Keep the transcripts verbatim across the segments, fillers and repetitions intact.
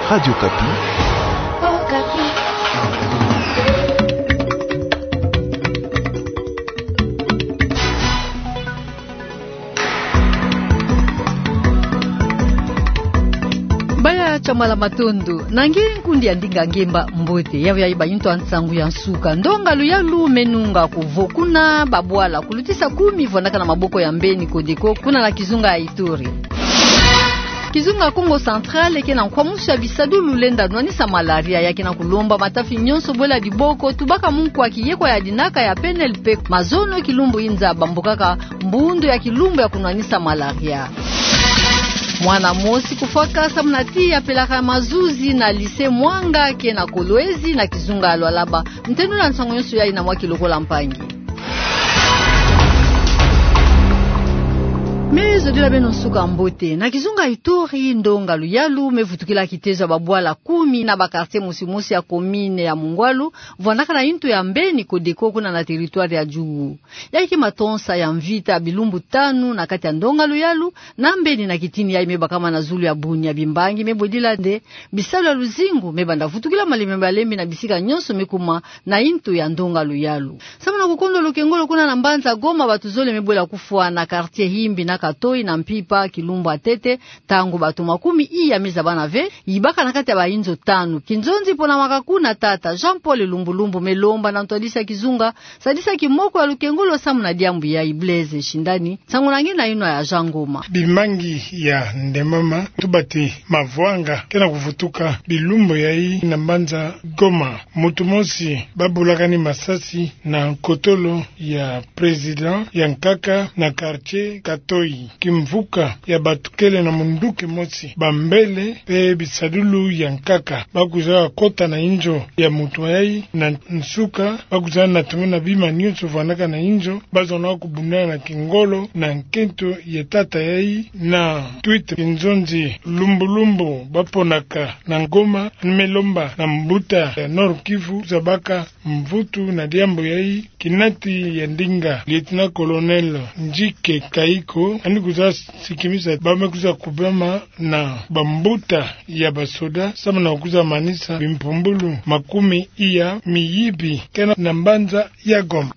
Radio Okapi. Baya Chamala, matondo. Na nge nkundi ya ndinga ngemba, mbote. Yawe ya iba into a nsangu ya nsuka. Ndonga luyalu me nunga kuvo kuna babwala kulutisa kumi vandaka na maboko ya mbeni Codeco kuna na kizunga ya Ituri. Kizunga Kongo Central ke na nkwamusu ya bisadulu lenda nwanisa malaria, ya ke na kulomba matafi nyonso bwela diboko, tubaka munkwa kiyekwa ya dinaka ya P N L P mazono kilumbu inza bambukaka mbundu ya kilumbu ya kunwanisa malaria. Mwana mosi kufwaka samu na tiya pelaka mazuzi na lycée Mwanga ke na Kolwezi na kizunga ya Lualaba. Ntendu na nsangu nyonso yayi na mwa ki lokola mpangi. Me zodila beno nsuka mbote. Na kizunga Ituri, ndonga luyalu me vutukila kitezo ya babwala kumi na ba quartier mosi mosi ya commune ya Mungwalu, vandaka na into ya mbeni Codeco kuna na territoire ya Djugu. Yayi ke matonsa ya mvita ya bilumbu tanu na kati ya ndonga luyalu, na mbeni na kitini yayi me bakama na zulu ya Bunia, bimbangi me bwedila nde bisalu ya luzingu me banda vutukila malembe malembe na bisika nyonso me kuma na into ya ndonga luyalu. Samu na kukondwa lukengolo kuna na mbanza Goma, batu zole me bwela kufwa na quartier Himbi na Katoi na mpimpa kilumbu ya ntete, ntangu batu makumi iya me zabana ve yibaka na kati ya ba inzo tanu. Kinzonzi pona makakuna, tata Jean Paul Lumbulumbu me lomba na ntwadisi ya kizunga sadisa kimoko ya lukengolo samu na diambu yayi. Blaise Shindani, nsangu na nge na yinwa ya Jean Ngoma. Bimbangi ya ndemama, tubati mavwanga ke na kuvutuka bilumbu yayi na mbanza Goma. Mutu mosi babulakani masasi na nkotolo ya président ya nkaka na quartier Katoi. Kimvuka ya batu kele na munduki mosi, bambele pe bisadulu ya nkaka bakwiza kota na inzo ya mutu yayi. Na nsuka bakwiza na tomona bima nyonso vandaka na inzo, bazona kubundana na kingolo na nkento ya tata yayi. Na tweet, kinzonzi Lumbulumbu baponaka na Goma, ni me lomba na mbuta ya Nord-Kivu zabaka mvutu na diambu yayi. Kinati ya ndinga, lieutenant-colonel Njike Kaiko, yandi kwiza sikimisa ba me kwiza kubama na bambuta ya basoda samu na kwiza manisa bimpumbulu makumi iya miyibi ke na mbanza ya Goma.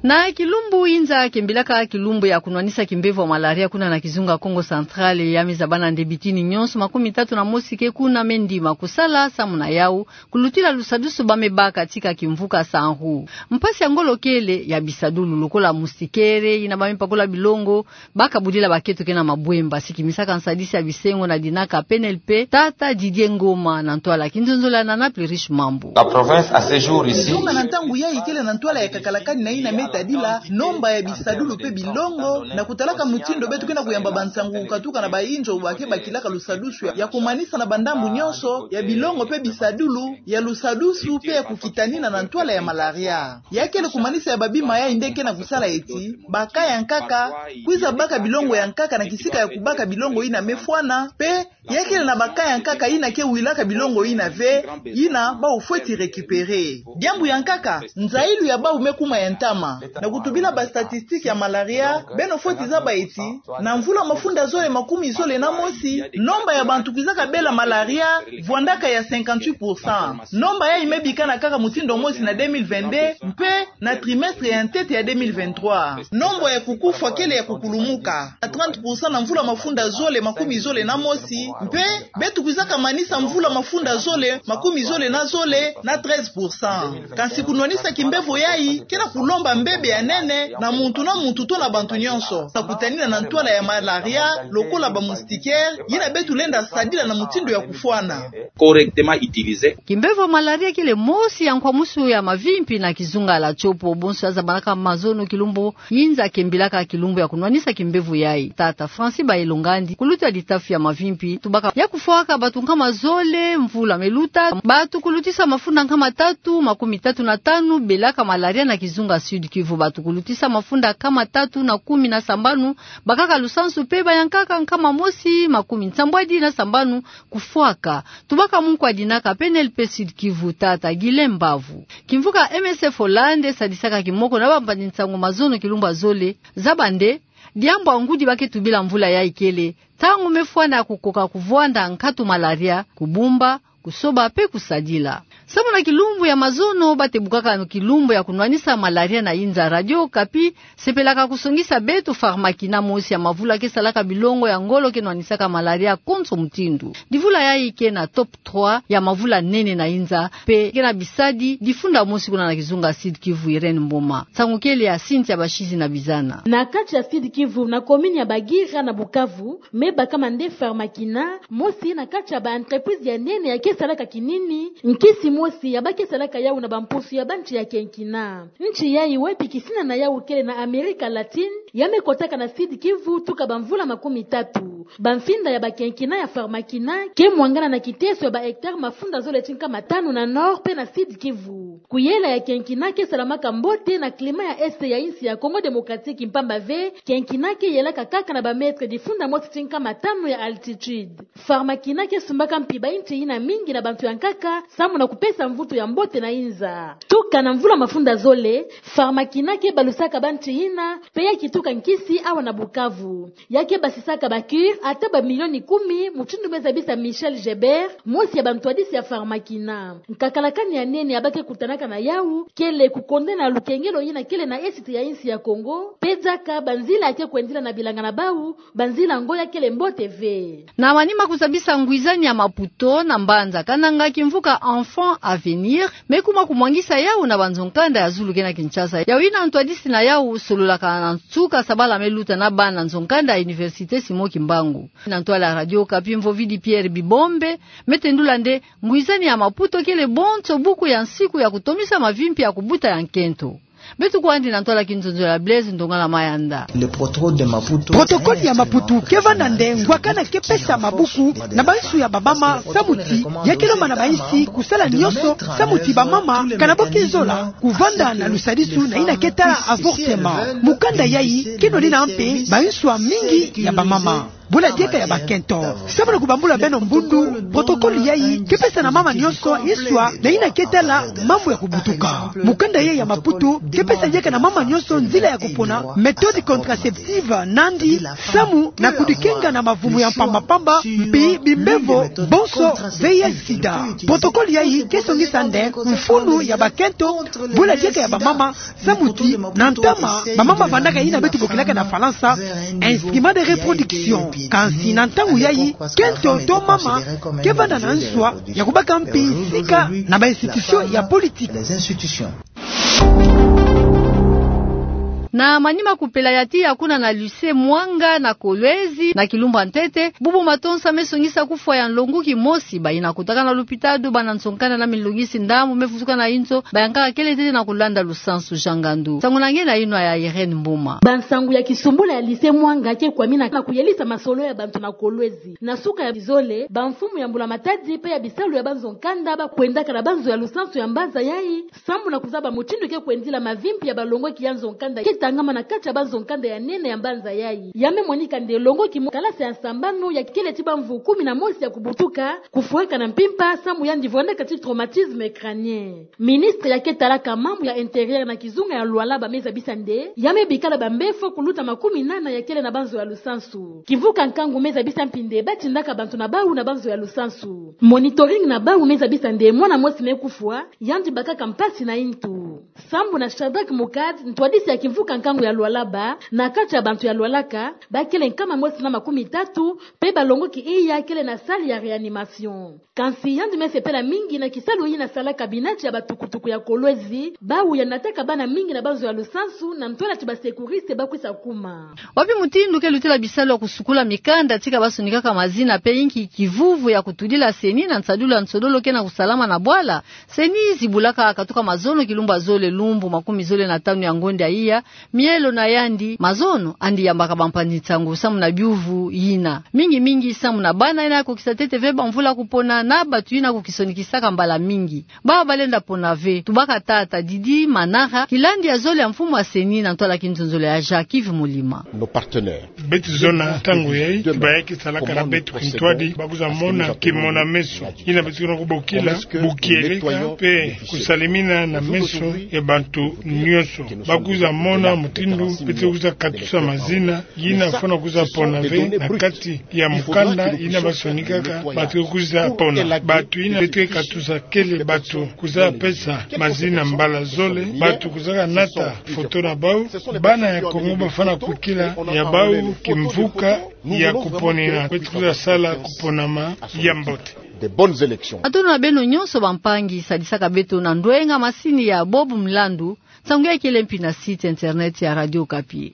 Na kilumbu inza kembilaka kilumbu ya kunwanisa kimbevo ya malaria kuna na kizunga Kongo Central, ya me zabana nde bitini nyonso makumi tatu na mosi ke kuna me ndima kusala samu na yawu kulutila lusadusu ba me baka tika kimvuka Sanru. Mpasi ya ngolo kele, ya bisadulu lokola moustiquaire yina ba me pakola bilongo, baka budila baketo ke na mabwemba. Sikimisaka nsadisi ya bisengo na dinaka P N L P, tata Didier Ngoma, na ntwala ya kinzonzolo ya Nana Plurish Mambu. La province à ce jour ici. Kizunga na ntangu yayi kele na ntwala ya kakalakani na yina me tadila nomba ya bisadulu pe bilongo, na kutalaka mutindu beto ke na kuyamba bansangu kukatuka na ba inzo ba ke bakilaka lusadusu ya kumanisa na bandambu nyonso ya bilongo pe bisadulu, ya lusadusu pe ya kukitanina na ntwala ya malaria. Ya kele kumanisa ya babima yayi nde ke na kusala eti ba cas ya nkaka kwiza baka bilongo ya nkaka na kisika ya kubaka bilongo yina me fwana, pe ya kele na ba cas ya nkaka yina ke wilaka bilongo yina ve, yina bawu fweti récupérer. Diambu ya nkaka, nzayilu ya bawu me kuma ya ntama. Na kutubila ba statistiques ya malaria, beno fweti zaba eti na mvula mafunda zole makumi zole na mosi, nomba ya bantu kwizaka bela malaria vwandaka ya cinquante-huit pour cent. Nomba yayi me bikana kaka mutindu mosi na deux mille vingt-deux, mpe na trimestre ya ntete ya deux mille vingt-trois, nomba ya kukufwa kele ya kukulumuka na trente pour cent na mvula mafunda zole makumi zole na mosi, mpe beto kwizaka manisa mvula mafunda zole makumi zole na zole na treize pour cent. Kansi kunwanisa kimbevo yayi ke na kulomba mbebe ya nene na muntu na muntu to na bantu nyonso, na kutanina na ntwala ya malaria lokola ba moustiquaires yina beto lenda sadila na mutindu ya kufwana. Correctement utilisé. Kimbevo malaria kele mosi ya nkwamusu ya mavimpi na kizunga la Tshopo, bonso ya zabanaka mazono kilumbu yinza kembilaka kilumbu ya kunwanisa kimbevo yayi. Tata Francis Bayelo Ngandi, kuluta ditafi ya mavimpi, tubaka ya kufwaka batu nkama zole mvula me luta, batu kulutisa mafunda nkama tatu makumi tatu na tanu belaka malaria na kizunga Sud-Kivu, batu kulutisa mafunda nkama tatu na kumi na sambanu bakaka lusansu, mpe bayankaka nkama mosi makumi nsambwadi na sambanu kufwaka. Tubaka munkwa dinaka P N L P Sud-Kivu, tata Guylain Mbavu. Kimvuka M S F Holland sadisaka kimoko na bampangi-nsangu mazono kilumbu ya zole, zaba nde diambu ya ngudi ba ke tubila mvula yayi kele Ntangu me fwana ya kukoka kuvwanda nkatu malaria, kubumba, kusoba pe kusadila. Samu na kilumbu ya mazono, ba tebukaka kilumbu ya kunwanisa malaria na inza. Radio Okapi sepelaka kusongisa beto Pharmakina, mosi ya mavula ke salaka bilongo ya ngolo ke nwanisaka malaria konso mutindu. Divula yayi ke na top trois ya mavula nene na inza, pe ke na bisadi difunda mosi kuna na kizunga Sud-Kivu. Irène Mboma. Nsangu kele ya Cynthia Bashizi na Bizana. Na kati ya Sud-Kivu, na commune ya Bagira na Bukavu, me bakama nde Pharmakina, mosi na kati ya ba entreprise ya nene ya ke salaka kinini, nkisi mosi ya ba ke salaka yawu na bampusu ya banchi ya kenkina. Nchi yayi wapi kisina na yawu kele na Amerika Latine, ya me kotaka na Sud-Kivu tuka bamvula makumi tatu. Bamfinda ya bakenkina ya Pharmakina ke mwangana na kiteso ya ba hectare mafunda zole ti nkama tanu na Nord pe na Sud-Kivu. Kuyela ya kenkina ke salamaka mbote na climat ya Est ya insi ya Congo Démocratique, mpamba ve kenkina ke yelaka kaka na ba mètre difunda mosi ti nkama tanu ya altitude. Pharmakina ke sumbaka mpi ba inchi yina mingi na bantu ya nkaka, samu na kupesa mvutu ya mbote na inza. Tuka na mvula mafunda zole, Pharmakina ke balusaka banchi yina, pe ya kituka nkisi awa na Bukavu. Ya ke basisaka ba cure ata ba milioni kumi, mutindu me zabisa Michel Gebert, mosi ya bantwadisi ya Pharmakina. Nkakalakani ya nene ya ba ke kutanaka na yawu kele kukonda na lukengelo yina kele na Est ya insi ya Congo, pe diaka banzila ya ke kwendila na bilanga na bawu, banzila ngo ya kele mbote ve. Na manima kuzabisa ngwizani ya Maputo na mbanza Kananga, kimvuka Enfant Avenir me kuma kumwangisa yawu na banzo-nkanda ya zulu ke na Kinshasa. Yawu yina ntwadisi na yawu sololaka na nsuka sabala me luta na bana nzo-nkanda ya Université Simon Kimbangu. Na ntwala ya Radio Okapi, Mvovidi Pierre Bibombe me tendula nde ngwizani ya Maputo kele bonso buku ya nsiku ya kutomisa mavimpi ya kubuta ya nkento. Beto kwandi na ntwala kinzonzolo ya Blaise Ndongala Mayanda. Le protocole de Maputo. Protocole ya Maputo ke vanda nde ngwakana ke pesa mabuku na bansu ya bamama, samu ti ya ke lomba na bainsi kusala nionso samu ti bamama kana bo ke zola kuvanda na lusadisu na yina ke tala avortement. Mukanda yayi ke nwanina mpe bansu ya mingi ya bamama. Bula dieka ya bakento. Samu na kubambula beno mbundu, protocole yayi ke pesa na mama nionso nswa na yina ke tala mambu ya kubutuka. Mukanda yayi ya Maputo ke pesa dieka na mama nionso nzila ya kupona méthode contraceptive nandi, samu na kudikenga na mavumu ya mpamba-mpamba, mpi bimbevo bonso, V I H, sida. Protocole yayi ke songisa nde mfunu ya bakento, bula dieka ya bamama, samu ti na ntama, bamama vandaka yina beto bokilaka na Falansa instrument de reproduction. Kansi na ntangu yayi, kento to mama ke vanda na nswa ya kubaka mpi sika na ba institution ya politique. Na manima kupela ya tiya kuna na lycée Mwanga na Kolwezi, na kilumbu ya ntete, bubu matonsa me songisa kufwa ya nlonguki mosi. Bayina kotaka na lupitalu, bana nzo-nkanda na minlongisi ndambu me vutuka na inzo, bayankaka kele ntete na kulanda lusansu. Jean Ngandu. Nsangu na nge na yinwa ya Irène Mboma. Bansangu ya kisumbula ya lycée Mwanga ke kwamina na kuyelisa masolo ya bantu na Kolwezi. Na suka ya bizole, bamfumu ya mbula-matadi pe ya bisalu ya banzo-nkanda ba kwendaka na banzo ya lusansu ya mbanza yayi, samu na kuzaba mutindu ke kwendila mavimpi ya balongoki ya nzo-nkanda ke tangama na kati ya banzo-nkanda ya nene ya mbanza yayi. Ya me monika nde longoki mo kalasi ya sambanu ya kele ti bamvu kumi na mosi ya kubutuka, kufwaka na mpimpa, samu yandi vwandaka ti traumatisme crânien. Ministre ya ke talaka mambu ya intérieur na kizunga ya Lualaba me zabisa nde ya me bikala bambefo kuluta makumi nana ya kele na banzo ya lusansu. Kimvuka nkangu me zabisa mpi nde ba tindaka bantu na bawu na banzo ya lusansu. Monitoring na bawu me zabisa nde mwana mosi me kufwa, yandi bakaka mpasi na yintu. Sambu na Shadrack Mukad, ntwadisi ya kimvuka nkangu ya Lualaba, na kati ya bantu ya lwalaka, ba kele nkama mosi na makumi tatu, pe balongoki iya kele na salle ya réanimation. Kansi yandi me sepela mingi na kisalu yina salaka binati ya batukutuku ya Kolwezi, bawu ya nataka bana mingi na banzo ya lusansu, na ntwala ti ba secouristes ba kwisa kuma. Wapi mutindu ke lutela bisalu ya kusukula mikanda tika ba sonikaka mazina pe yinki kivuvu ya kutudila CENI na nsadulu ya nsodolo ke na kusalama na bwala? CENI zibulaka katuka mazono kilumbu ya zole lumbu makumi zole na tanu ya ngonda iya, mielo na yandi mazono andi yambaka bampanzi-nsangu samu na biuvu yina. Mingi-mingi samu na bana yina ya kokisa ntete ve bamvula kupona na bantu yina kukisonikisaka mbala mingi. Bawu balenda pona ve. Tubaka tata Didi Manara, kilandi ya zole ya mfumu ya CENI na ntwala kinzonzolo ya Jacques Yves Molima. Nos partenaires. Beto zona ntangu yayi, bayaki salaka na beto kintwadi, ba kwiza mona kimona-meso. Yina beto na kubokila, bukieleka, pe kusalimina na meso Bantu nyonso bakwiza mona mutindu beto kwiza katusa mazina yina fwana kwiza pona ve na kati ya mukanda yina basonikaka bato kwiza pona. Bato yina beto katusa kele bato kwiza pesa mazina mbala zole, bato kwizaka nata foto na bau. Bana ya Kongo bafwana kwikila ya bau kimvuka ya kuponina, beto kwiza sala kuponama ya mbote. De bonnes élections. Matondo na beno nyonso bampangi sadisaka beto na ndwenga masini ya Bob Mlandu. Nsangu ya kele mpi na site internet ya Radio Okapi.